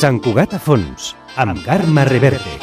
Sant Cugat a fons, amb Carme Reverte.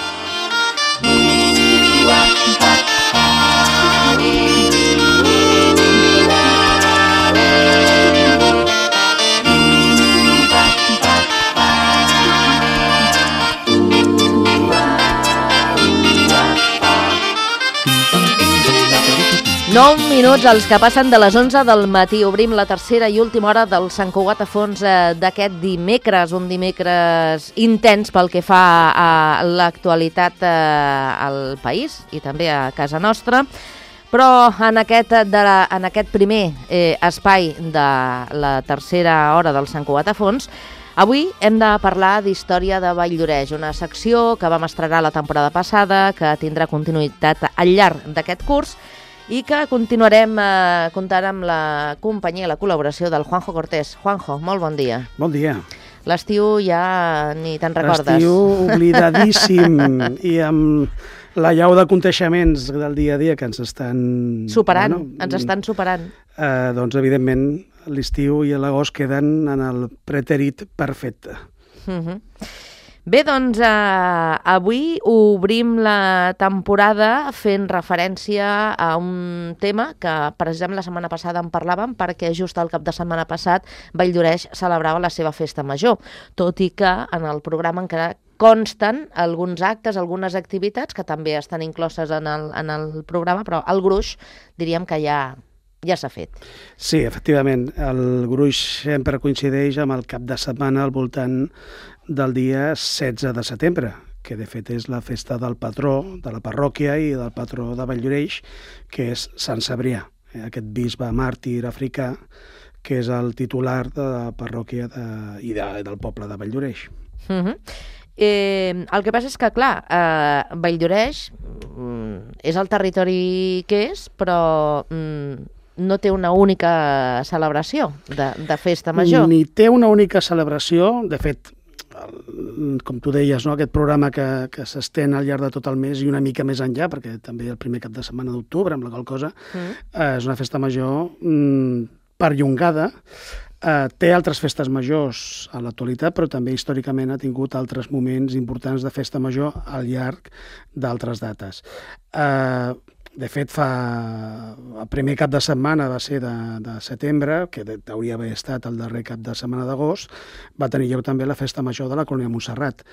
Nou minuts els que passen de les 11 del matí. Obrim la tercera i última hora del Sant Cugat a fons d'aquest dimecres, un dimecres intens pel que fa a l'actualitat al país i també a casa nostra. Però en aquest primer espai de la tercera hora del Sant Cugat a fons, avui hem de parlar d'història de Valldoreix, una secció que vam estrenar la temporada passada, que tindrà continuïtat al llarg d'aquest curs, i que continuarem comptant amb la companyia i la col·laboració del Juanjo Cortés. Juanjo, molt bon dia. Bon dia. L'estiu ja ni te'n recordes. L'estiu oblidadíssim i amb la llau d'aconteixements del dia a dia que ens estan... Superant, ens estan superant. Doncs, evidentment, l'estiu i l'agost queden en el pretèrit perfecte. Bé, doncs avui obrim la temporada fent referència a un tema que precisament la setmana passada en parlàvem perquè just el cap de setmana passat Valldoreix celebrava la seva festa major, tot i que en el programa encara consten alguns actes, algunes activitats que també estan incloses en el programa, però el gruix diríem que ja s'ha fet. Sí, efectivament, el gruix sempre coincideix amb el cap de setmana al voltant del dia 16 de setembre, que de fet és la festa del patró de la parròquia i del patró de Valldoreix, que és Sant Cebrià, aquest bisbe màrtir africà, que és el titular de la parròquia i del poble de Valldoreix. El que passa és que, clar, Valldoreix és el territori que és, però no té una única celebració de festa major. Ni té una única celebració, de fet, com tu deies, no? Aquest programa que s'estén al llarg de tot el mes i una mica més enllà, perquè també el primer cap de setmana d'octubre, amb la qual cosa és una festa major perllongada. Té altres festes majors a l'actualitat, però també històricament ha tingut altres moments importants de festa major al llarg d'altres dates. De fet, el primer cap de setmana va ser de setembre, que hauria d'haver estat el darrer cap de setmana d'agost, va tenir lloc també la festa major de la colònia Montserrat,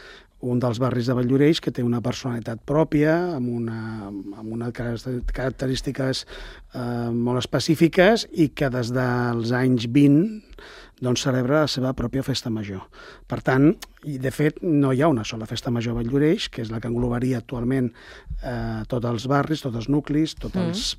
un dels barris de Valldoreix que té una personalitat pròpia, amb unes característiques molt específiques i que des dels anys 20 doncs celebra la seva pròpia festa major. Per tant, i de fet no hi ha una sola festa major a Valldoreix, que és la que englobaria actualment tots els barris, tots els nuclis, tots els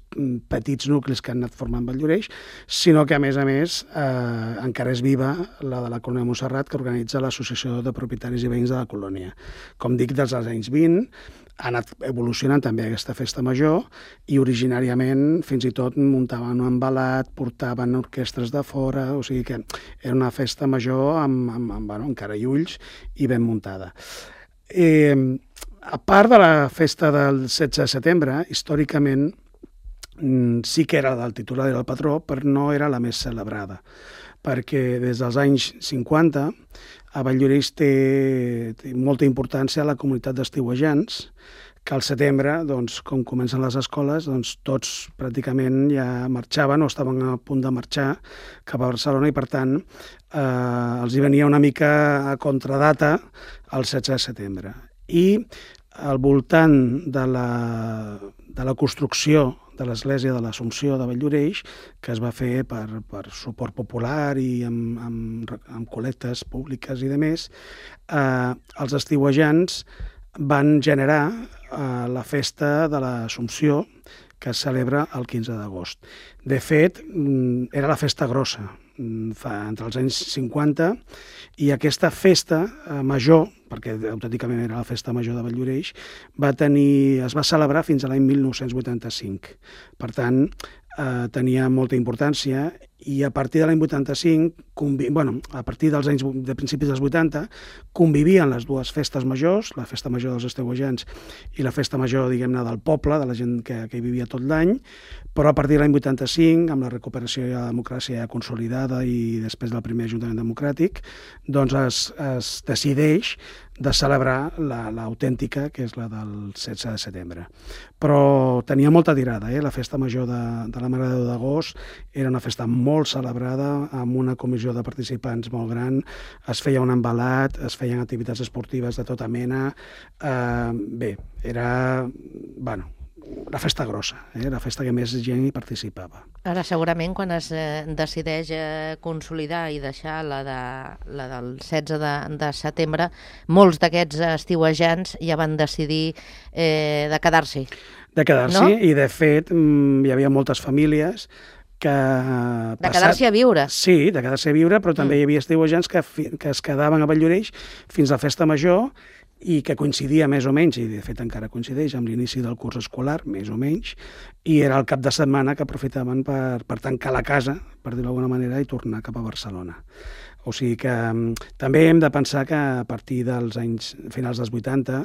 petits nuclis que han anat formant Valldoreix, sinó que a més encara és viva la de la colònia Montserrat, que organitza l'Associació de Propietaris i Veïns de la Colònia. Com dic, des dels anys 20 ha anat evolucionant també aquesta festa major i originàriament fins i tot muntaven un embalat, portaven orquestres de fora, o sigui que era una festa major amb cara i ulls i ben muntada. A part de la festa del 16 de setembre, històricament sí que era del titular del patró, però no era la més celebrada, perquè des dels anys 50 a Valldoreix té molta importància la comunitat d'estiuejants, que al setembre, doncs, com comencen les escoles, doncs, tots pràcticament ja marxaven o estaven a punt de marxar cap a Barcelona i, per tant, els hi venia una mica a contradata el 16 de setembre. I al voltant de la construcció de l'Església de l'Assumpció de Valldoreix, que es va fer per suport popular i amb col·lectes públiques i demés, els estiuejants van generar la festa de l'Assumpció, que es celebra el 15 d'agost. De fet, era la festa grossa, entre els anys 50, i aquesta festa major, perquè autènticament era la festa major de Valldoreix, es va celebrar fins a l'any 1985. Per tant, tenia molta importància, i a partir de l'any 85, a partir dels anys de principis dels 80, convivien les dues festes majors, la festa major dels estiuejants i la festa major, diguem-ne, del poble, de la gent que hi vivia tot l'any, però a partir de l'any 85, amb la recuperació de la democràcia consolidada i després del primer Ajuntament Democràtic, doncs es decideix de celebrar l'autèntica, que és la del 16 de setembre. Però tenia molta tirada, la festa major de la Mare de Déu d'Agost era una festa molt celebrada, amb una comissió de participants molt gran, es feia un embalat, es feien activitats esportives de tota mena, bé, era, la festa grossa, la festa que més gent hi participava. Ara, segurament, quan es decideix consolidar i deixar la del 16 de setembre, molts d'aquests estiuejants ja van decidir de quedar-s'hi. De quedar-s'hi, no? I de fet hi havia moltes famílies que... De quedar-s'hi a viure. Sí, de quedar-s'hi a viure, però també hi havia estiuejants que es quedaven a Valldoreix fins a la festa major, i que coincidia més o menys, i de fet encara coincideix, amb l'inici del curs escolar, més o menys, i era el cap de setmana que aprofitaven per tancar la casa, per dir-ho d'alguna manera, i tornar cap a Barcelona. O sigui que també hem de pensar que a partir dels anys finals dels 80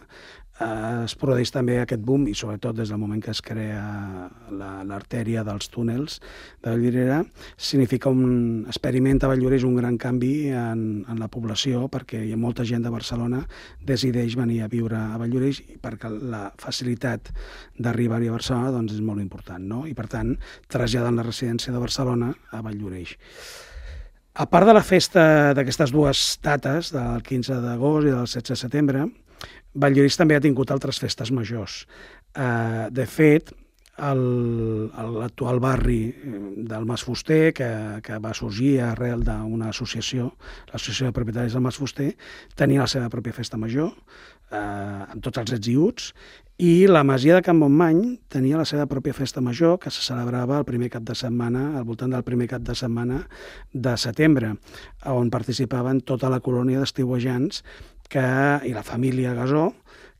es produeix també aquest boom, i sobretot des del moment que es crea l'artèria dels túnels de Vallvidrera, experimenta a Valldoreix un gran canvi en la població, perquè hi ha molta gent de Barcelona decideix venir a viure a Valldoreix, perquè la facilitat d'arribar-hi a Barcelona doncs, és molt important, no? I per tant traslladen la residència de Barcelona a Valldoreix. A part de la festa d'aquestes dues dates, del 15 d'agost i del 16 de setembre, Valldoreix també ha tingut altres festes majors. De fet, l'actual barri del Mas Fuster, que va sorgir arrel d'una associació, l'Associació de Propietaris del Mas Fuster, tenia la seva pròpia festa major, amb tots els ets i uts, i la masia de Can Montmany tenia la seva pròpia festa major, que se celebrava el primer cap de setmana, al voltant del primer cap de setmana de setembre, on participaven tota la colònia d'estiuejants i la família Gasó,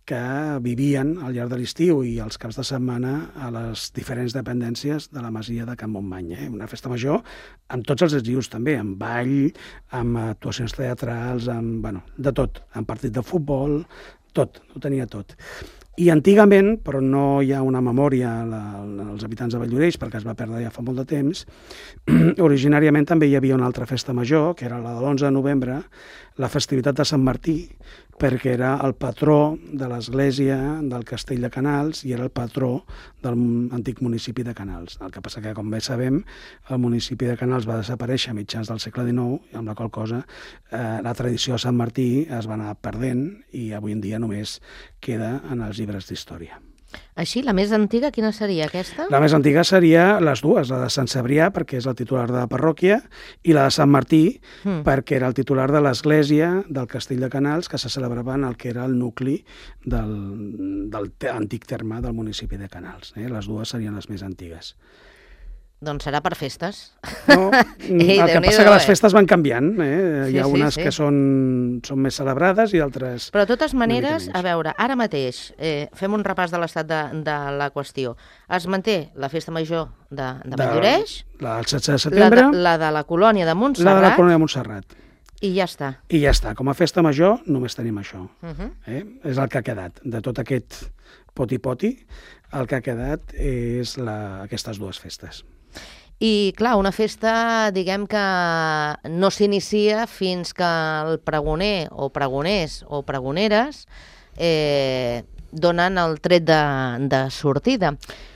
que vivien al llarg de l'estiu i els caps de setmana a les diferents dependències de la masia de Can Montmany. Una festa major amb tots els estius també, amb ball, amb actuacions teatrals, de tot, amb partit de futbol, tot, ho tenia tot. I antigament, però no hi ha una memòria als habitants de Valldoreix, perquè es va perdre ja fa molt de temps, originàriament també hi havia una altra festa major, que era la de l'11 de novembre, la festivitat de Sant Martí, perquè era el patró de l'església del Castell de Canals i era el patró de l'antic municipi de Canals. El que passa que, com bé sabem, el municipi de Canals va desaparèixer a mitjans del segle XIX, amb la qual cosa la tradició de Sant Martí es va anar perdent i avui en dia només queda en els llibres d'història. Així, la més antiga, quina seria aquesta? La més antiga seria les dues, la de Sant Cebrià, perquè és el titular de la parròquia, i la de Sant Martí, perquè era el titular de l'església del Castell de Canals, que se celebrava en el que era el nucli del antic terme del municipi de Canals. Les dues serien les més antigues. Doncs serà per festes. No, el que passa que les festes van canviant. Hi ha unes que són més celebrades i altres... Però de totes maneres, a veure, ara mateix fem un repàs de l'estat de la qüestió. Es manté la festa major de Valldoreix, la del 16 de setembre, la de la colònia de Montserrat, la de la colònia de Montserrat. I ja està. I ja està. Com a festa major només tenim això. És el que ha quedat. De tot aquest poti-poti, el que ha quedat és aquestes dues festes. I, clar, una festa, diguem que no s'inicia fins que el pregoner o pregoners o pregoneres donen el tret de sortida.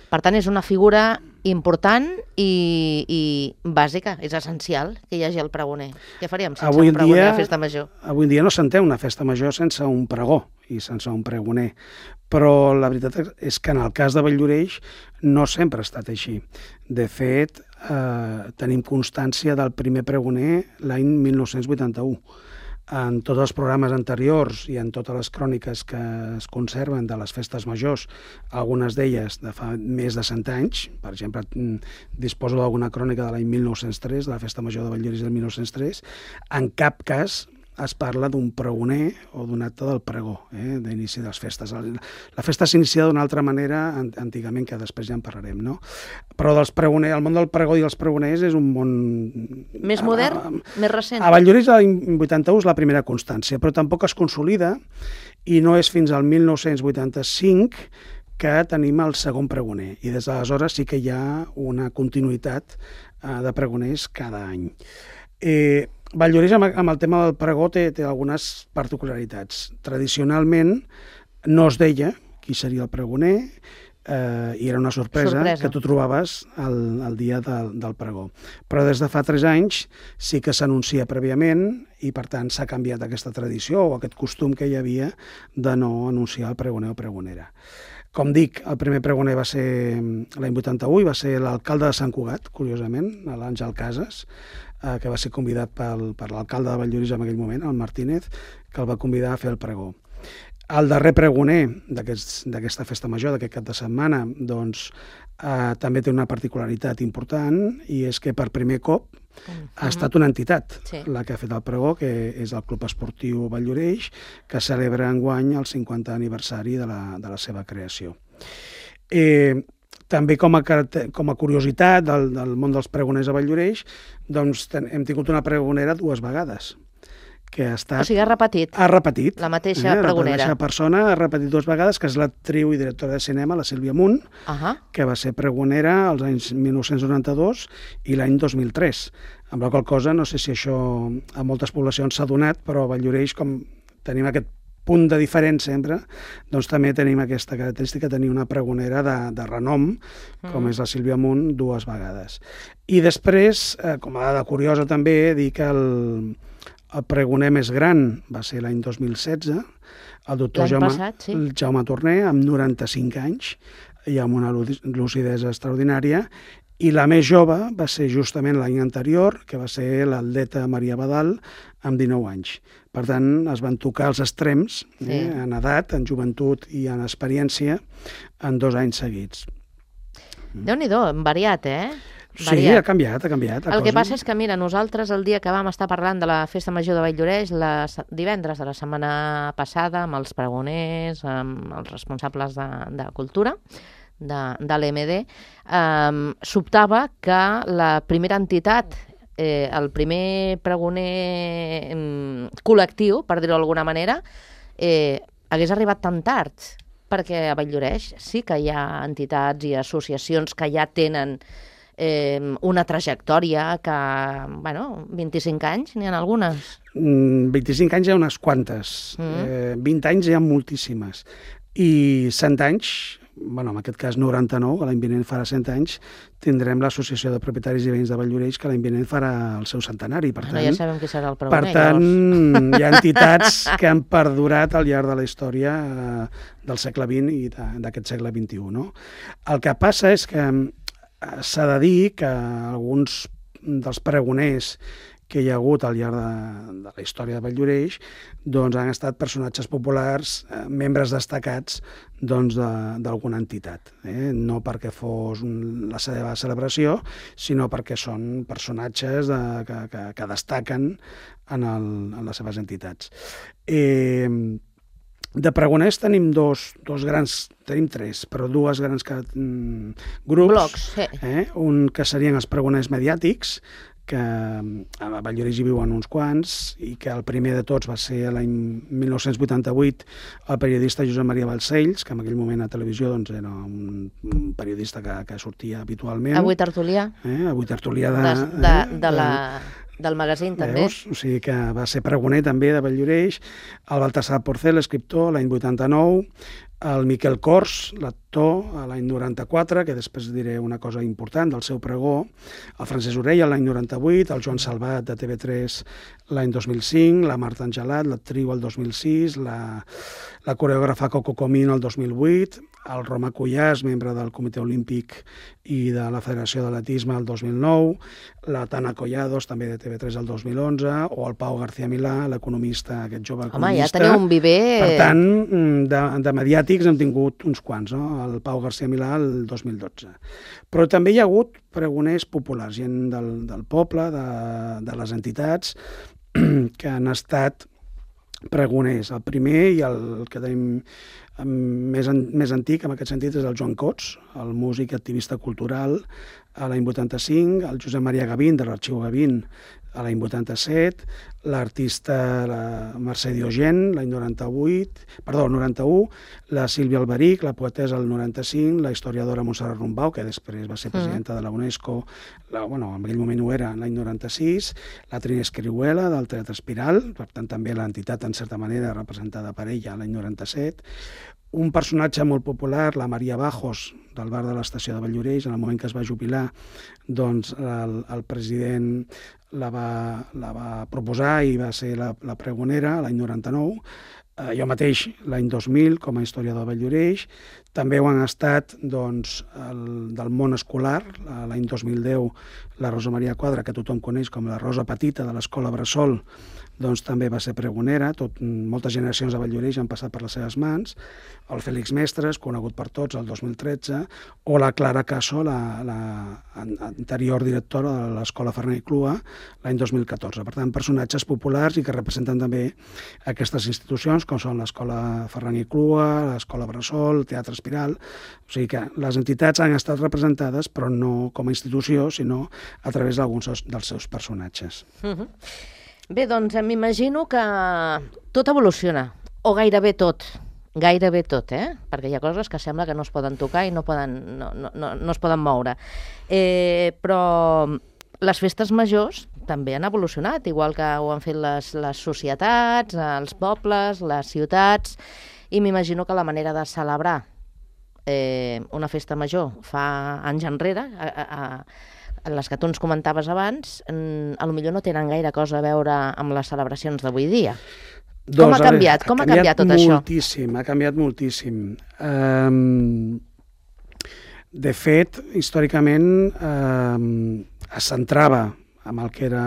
Per tant, és una figura important i bàsica, és essencial que hi hagi el pregoner. Què faríem sense un pregoner a la festa major? Avui en dia no s'entén una festa major sense un pregó i sense un pregoner, però la veritat és que en el cas de Valldoreix no sempre ha estat així. De fet, tenim constància del primer pregoner l'any 1981. En tots els programes anteriors i en totes les cròniques que es conserven de les festes majors, algunes d'elles de fa més de 100 anys, per exemple, disposo d'alguna crònica de l'any 1903, de la festa major de Valldoreix del 1903, en cap cas es parla d'un pregoner o d'un acte del pregó, d'inici de les festes. La festa s'inicia d'una altra manera antigament, que després ja en parlarem, no? Però el món del pregó i els pregoners és un món... Més modern? Més recent? A Valldoreix l'any 81 és la primera constància, però tampoc es consolida i no és fins al 1985 que tenim el segon pregoner. I des d'aleshores sí que hi ha una continuïtat de pregoners cada any. Valldoreix amb el tema del pregó té algunes particularitats. Tradicionalment no es deia qui seria el pregoner i era una sorpresa que tu trobaves el dia del pregó. Però des de fa 3 anys sí que s'anuncia prèviament i per tant s'ha canviat aquesta tradició o aquest costum que hi havia de no anunciar el pregoner o pregonera. Com dic, el primer pregoner va ser l'any 81 i va ser l'alcalde de Sant Cugat, curiosament, l'Àngel Casas, que va ser convidat per l'alcalde de Valldoreix en aquell moment, el Martínez, que el va convidar a fer el pregó. El darrer pregoner d'aquesta festa major, d'aquest cap de setmana, doncs, també té una particularitat important i és que per primer cop ha estat una entitat la que ha fet el pregó, que és el Club Esportiu Valldoreix, que celebra enguany el 50 aniversari de la seva creació. També com a curiositat del món dels pregoners a Valldoreix, doncs hem tingut una pregonera 2 vegades. Que ha estat... O sigui, ha repetit. Ha repetit. La mateixa pregonera. La mateixa persona ha repetit 2 vegades, que és l'actriu i directora de cinema, la Sílvia Munt, que va ser pregonera als anys 1992 i l'any 2003. Amb la qual cosa, no sé si això a moltes poblacions s'ha donat, però a Valldoreix, com tenim aquest punt de diferent sempre, doncs també tenim aquesta característica de tenir una pregonera de renom, com és la Sílvia Munt, 2 vegades. I després, com a dada curiosa també, dir que el pregoner més gran va ser l'any 2016, el doctor Jaume Torner, amb 95 anys, i amb una lucidesa extraordinària, i la més jove va ser justament l'any anterior, que va ser l'atleta Maria Badal, amb 19 anys. Per tant, es van tocar els extrems, en edat, en joventut i en experiència, en 2 anys seguits. Déu-n'hi-do, variat, Sí, ha canviat. El que passa és que, mira, nosaltres el dia que vam estar parlant de la Festa Major de Valldoreix, divendres de la setmana passada, amb els pregoners, amb els responsables de cultura, de l'EMD, sobtava que la primera entitat, el primer pregoner col·lectiu, per dir-ho d'alguna manera, hagués arribat tan tard, perquè a Valldoreix sí que hi ha entitats i associacions que ja tenen una trajectòria que, 25 anys, n'hi ha algunes. 25 anys hi ha unes quantes, 20 anys hi ha moltíssimes, i 100 anys, en aquest cas 99, l'any vinent farà 100 anys, tindrem l'Associació de Propietaris i Veïns de Valldoreix, que l'any vinent farà el seu centenari. Per tant, ja sabem qui serà el pregoner. Per tant, hi ha entitats que han perdurat al llarg de la història del segle XX i d'aquest segle XXI. No? El que passa és que s'ha de dir que alguns dels pregoners que hi ha hagut al llarg de la història de Valldoreix doncs han estat personatges populars, membres destacats d'alguna entitat. No perquè fos la seva celebració, sinó perquè són personatges que destaquen en les seves entitats. De pregoners tenim tenim 3, però 2 grans grups. Blocs, sí. Un que serien els pregoners mediàtics, que a Valldoreix hi viuen uns quants, i que el primer de tots va ser l'any 1988 el periodista Josep Maria Balcells, que en aquell moment a televisió era un periodista que sortia habitualment. Avui tertulià. Avui tertulià del magazín, també. O sigui que va ser pregoner també de Valldoreix, el Baltasar Porcel, escriptor, l'any 89, el Miquel Cors, l'actor, l'any 94, que després diré una cosa important del seu pregó, el Francesc Orella l'any 98, el Joan Salvat de TV3 l'any 2005, la Marta Angelat, l'actriu el 2006, la coreògrafa Coco Comín el 2008, el Roma Cuyàs, membre del Comitè Olímpic i de la Federació d'Atletisme el 2009, la Tana Collados, també de TV3 el 2011, o el Pau García Milà, l'economista, aquest jove economista. Home, ja teniu un viver... Per tant, de mediàtics hem tingut uns quants, no? El Pau García Milà el 2012. Però també hi ha hagut pregoners populars, gent del poble, de les entitats, que han estat pregoners. El primer i el que tenim més antic en aquest sentit és el Joan Cots, el músic activista cultural a l'any 85, el Josep Maria Gavín de l'Arxiu Gavín a l'any 87, l'artista la Mercè Diogen l'any 91, la Sílvia Alberic, la poetessa el 95, la historiadora Montserrat Rombau, que després va ser presidenta de la UNESCO, en aquell moment ho era, l'any 96, la Trini Escrihuela del Teatre Espiral, per tant també l'entitat en certa manera representada per ella l'any 97, un personatge molt popular, la Maria Bajos, del bar de l'estació de Valldoreix, en el moment que es va jubilar, doncs el president la va proposar i va ser la pregonera l'any 99, jo mateix l'any 2000 com a historiador de Valldoreix, també ho han estat doncs, del món escolar, l'any 2010 la Rosa Maria Quadra, que tothom coneix com la Rosa Petita de l'Escola Bressol, doncs també va ser pregonera, moltes generacions de Valldoreix han passat per les seves mans, el Fèlix Mestres, conegut per tots, el 2013, o la Clara Caso, l'anterior directora de l'Escola Ferran i Clua, l'any 2014. Per tant, personatges populars i que representen també aquestes institucions, com són l'Escola Ferran i Clua, l'Escola Bressol, el Teatre Espiral. O sigui que les entitats han estat representades, però no com a institució, sinó a través d'alguns dels seus personatges. Bé, doncs m'imagino que tot evoluciona, o gairebé tot, perquè hi ha coses que sembla que no es poden tocar i no es poden moure. Però les festes majors també han evolucionat, igual que ho han fet les societats, els pobles, les ciutats, i m'imagino que la manera de celebrar una festa major fa anys enrere, les que tu ens comentaves abans, potser no tenen gaire cosa a veure amb les celebracions d'avui dia. Com ha canviat? Com ha canviat tot això? Ha canviat moltíssim. De fet, històricament es centrava en el que era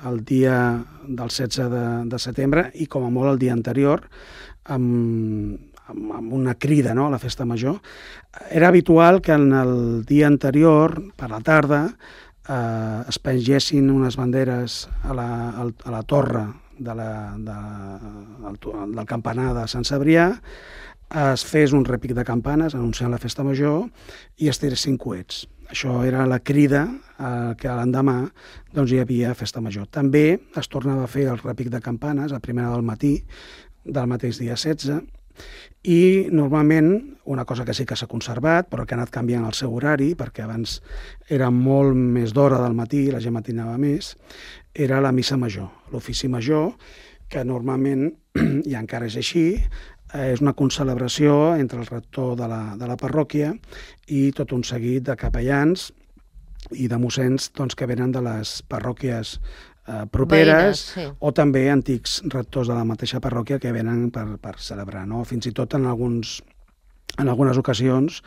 el dia del 16 de setembre i com a molt el dia anterior, amb una crida, no?, a la festa major. Era habitual que en el dia anterior, per la tarda, es pengessin unes banderes a la torre del campanar de Sant Cebrià, es fes un repic de campanes anunciant la festa major i es tiressin coets. Això era la crida que l'endemà doncs, hi havia festa major. També es tornava a fer el repic de campanes a primera del matí del mateix dia 16, i normalment, una cosa que sí que s'ha conservat, però que ha anat canviant el seu horari, perquè abans era molt més d'hora del matí, la gent matinava més, era la missa major, l'ofici major, que normalment, i encara és així, és una concelebració entre el rector de la parròquia i tot un seguit de capellans i de mossens doncs, que venen de les parròquies properes, sí, o també antics rectors de la mateixa parròquia que venen per celebrar, no? Fins i tot en algunes ocasions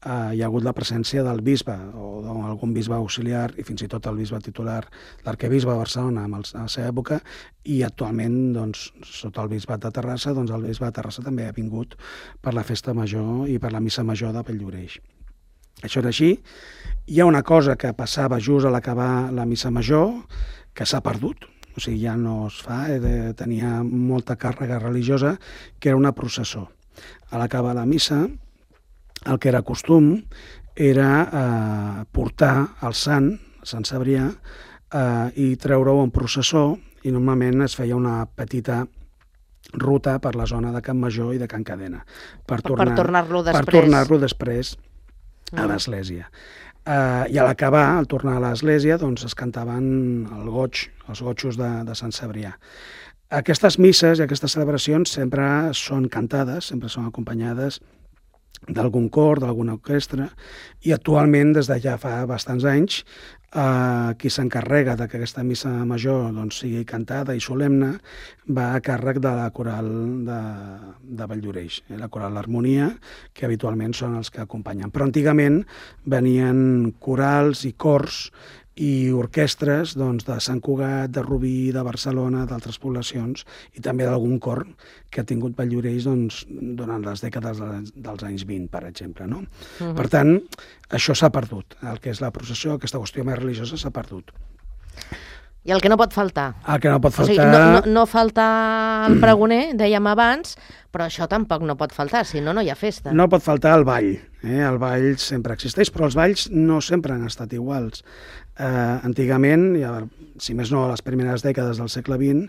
hi ha hagut la presència del bisbe o d'algun bisbe auxiliar i fins i tot el bisbe titular, l'arquebisbe de Barcelona a la seva època, i actualment, doncs, sota el bisbat de Terrassa, doncs el bisbe de Terrassa també ha vingut per la festa major i per la missa major de Valldoreix. Això era així. Hi ha una cosa que passava just a l'acabar la missa major, que s'ha perdut, o sigui, ja no es fa, tenia molta càrrega religiosa, que era una processó. A l'acabar la missa, el que era costum era portar el Sant Cebrià, i treure-ho en processó, i normalment es feia una petita ruta per la zona de Can Major i de Can Cadena, per tornar-lo després a l'església. I a l'acabar, al tornar a l'església, doncs es cantaven els gotxos de Sant Cebrià. Aquestes misses i aquestes celebracions sempre són cantades, sempre són acompanyades d'algun cor, d'alguna orquestra, i actualment, des de ja fa bastants anys, qui s'encarrega que aquesta missa major sigui cantada i solemne va a càrrec de la coral de Valldoreix, la coral L'Harmonia, que habitualment són els que acompanyen. Però antigament venien corals i cors i orquestres de Sant Cugat, de Rubí, de Barcelona, d'altres poblacions, i també d'algun cor que ha tingut Valldoreix durant les dècades dels anys 20, per exemple. No? Per tant, això s'ha perdut. El que és la processó, aquesta qüestió més religiosa, s'ha perdut. I el que no pot faltar. El que no pot faltar... O sigui, no falta el pregoner, dèiem abans, però això tampoc no pot faltar, si no, no hi ha festa. No pot faltar el ball. El ball sempre existeix, però els balls no sempre han estat iguals. Antigament, si més no a les primeres dècades del segle XX,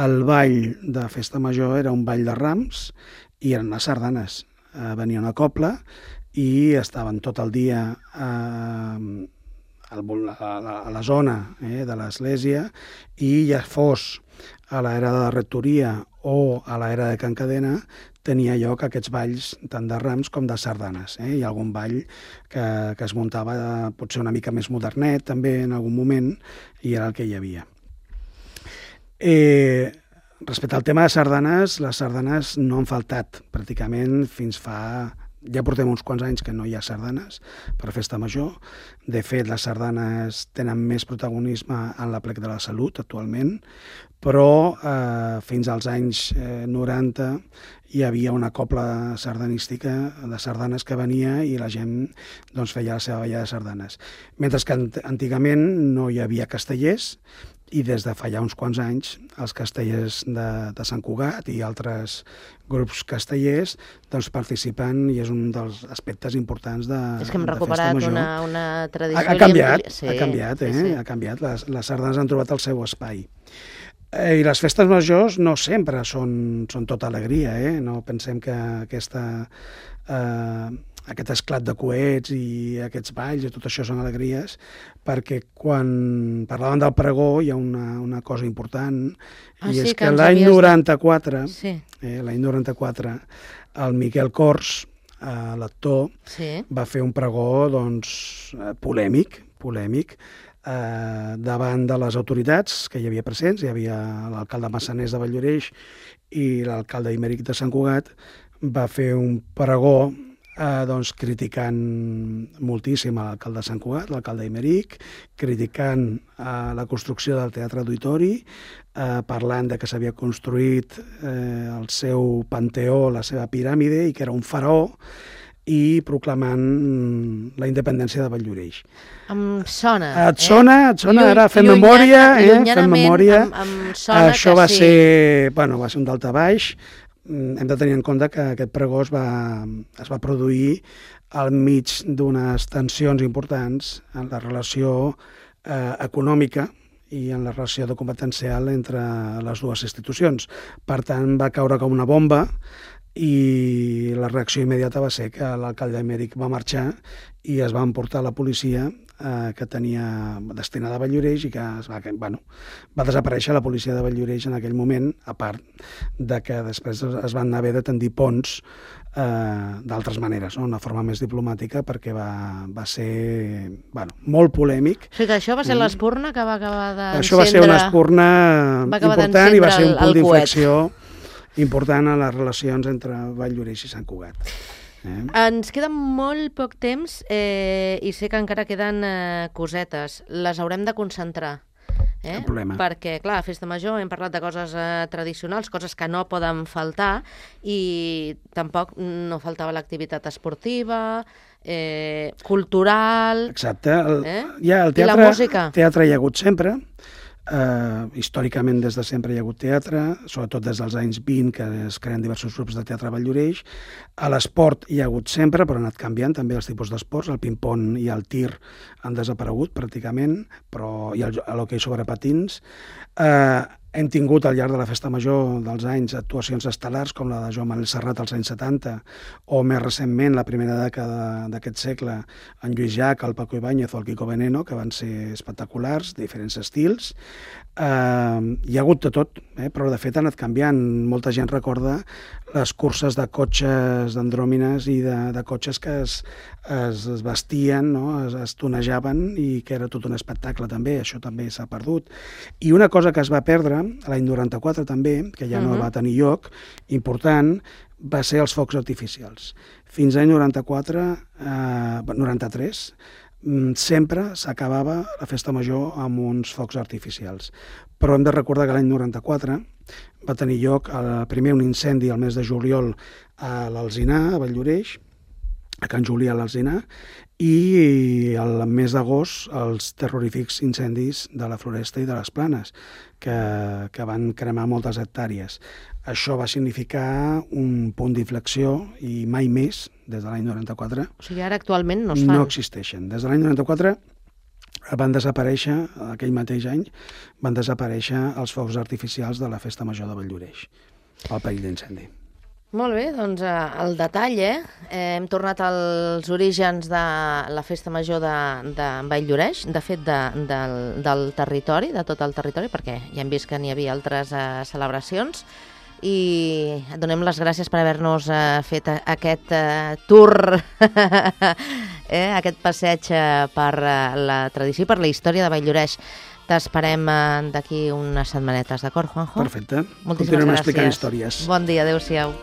el ball de festa major era un ball de rams i eren les sardanes. Venia una cobla i estaven tot el dia a la zona de l'església, i ja fos a l'era de la rectoria o a l'era de Can Cadena, tenia lloc aquests balls tant de rams com de sardanes. Hi ha algun ball que es muntava potser una mica més modernet també en algun moment, i era el que hi havia. Respecte al tema de sardanes, les sardanes no han faltat pràcticament fins fa... Ja portem uns quants anys que no hi ha sardanes per festa major. De fet, les sardanes tenen més protagonisme en l'Aplec de la Salut actualment, però fins als anys 90 hi havia una cobla sardanística de sardanes que venia i la gent feia la seva balla de sardanes. Mentre que antigament no hi havia castellers, i des de fa ja uns quants anys els castellers de Sant Cugat i altres grups castellers participen, i és un dels aspectes importants de festa major. És que hem recuperat una tradició... Ha canviat, ha canviat. Les sardanes han trobat el seu espai. I les festes majors no sempre són tota alegria, no pensem que aquest esclat de coets i aquests balls i tot això són alegries, perquè quan parlaven del pregó hi ha una cosa important, i és que l'any 94, el Miquel Cors, l'actor, va fer un pregó polèmic, davant de les autoritats que hi havia presents. Hi havia l'alcalde Massaners de Valldoreix i l'alcalde Imeric de Sant Cugat. Va fer un pregó criticant moltíssim l'alcalde de Sant Cugat, l'alcalde Imeric, criticant la construcció del Teatre Auditori, parlant de que s'havia construït el seu panteó, la seva piràmide, i que era un faraó, i proclamant la independència de Valldoreix. Em sona. Et sona? Ara fem memòria. Això va ser un daltabaix. Hem de tenir en compte que aquest pregó es va produir al mig d'unes tensions importants en la relació econòmica i en la relació competencial entre les dues institucions. Per tant, va caure com una bomba, i la reacció immediata va ser que l'alcalde Imeric va marxar i es va emportar la policia que tenia destinada a Valldoreix, i que va desaparèixer la policia de Valldoreix en aquell moment, a part de que després es van haver de tendir ponts d'altres maneres, una forma més diplomàtica, perquè va ser molt polèmic. O sigui que això va ser l'espurna que va acabar d'encendre... Això va ser una espurna important i va ser un punt d'inflexió important a les relacions entre Valldoreix i Sant Cugat. Ens queda molt poc temps i sé que encara queden cosetes. Les haurem de concentrar. Cap problema. Perquè, clar, a Festa Major hem parlat de coses tradicionals, coses que no poden faltar, i tampoc no faltava l'activitat esportiva, cultural... Exacte. I la música. El teatre hi ha hagut sempre. Històricament, des de sempre hi ha hagut teatre, sobretot des dels anys 20, que es creen diversos grups de teatre a Valldoreix. A l'esport hi ha hagut sempre, però han anat canviant també els tipus d'esports. El ping-pong i el tir han desaparegut pràcticament, però hi ha l'hoquei sobre patins. Hem tingut al llarg de la Festa Major dels anys actuacions estel·lars com la de Joan Manuel Serrat als anys 70, o més recentment, la primera dècada d'aquest segle, en Lluís Llach, el Paco Ibáñez o el Quico Veneno, que van ser espectaculars, diferents estils. Hi ha hagut de tot, però de fet ha anat canviant. Molta gent recorda les curses de cotxes d'andròmines i de cotxes que es vestien, es tonejaven, i que era tot un espectacle també. Això també s'ha perdut. I una cosa que es va perdre l'any 94 també, que ja no va tenir lloc, important, va ser els focs artificials. Fins l'any 93, sempre s'acabava la Festa Major amb uns focs artificials. Però hem de recordar que l'any 94 va tenir lloc primer un incendi al mes de juliol a l'Alzinar, a Valldoreix, a Can Julià a l'Alzina, i el mes d'agost els terrorífics incendis de la Floresta i de les Planes, que van cremar moltes hectàrees. Això va significar un punt d'inflexió i mai més, des de l'any 94... O sigui, ara actualment no es fan. No existeixen. Des de l'any 94 van desaparèixer, aquell mateix any, van desaparèixer els focs artificials de la Festa Major de Valldoreix, pel perill d'incendi. Molt bé, doncs el detall, hem tornat als orígens de la Festa Major de Valldoreix, de fet del territori, de tot el territori, perquè ja hem vist que n'hi havia altres celebracions, i et donem les gràcies per haver-nos fet aquest tour, aquest passeig per la tradició i per la història de Valldoreix. T'esperem d'aquí unes setmanetes, d'acord, Juanjo? Perfecte. Moltíssimes gràcies. Continuem explicant històries. Bon dia, adéu-siau.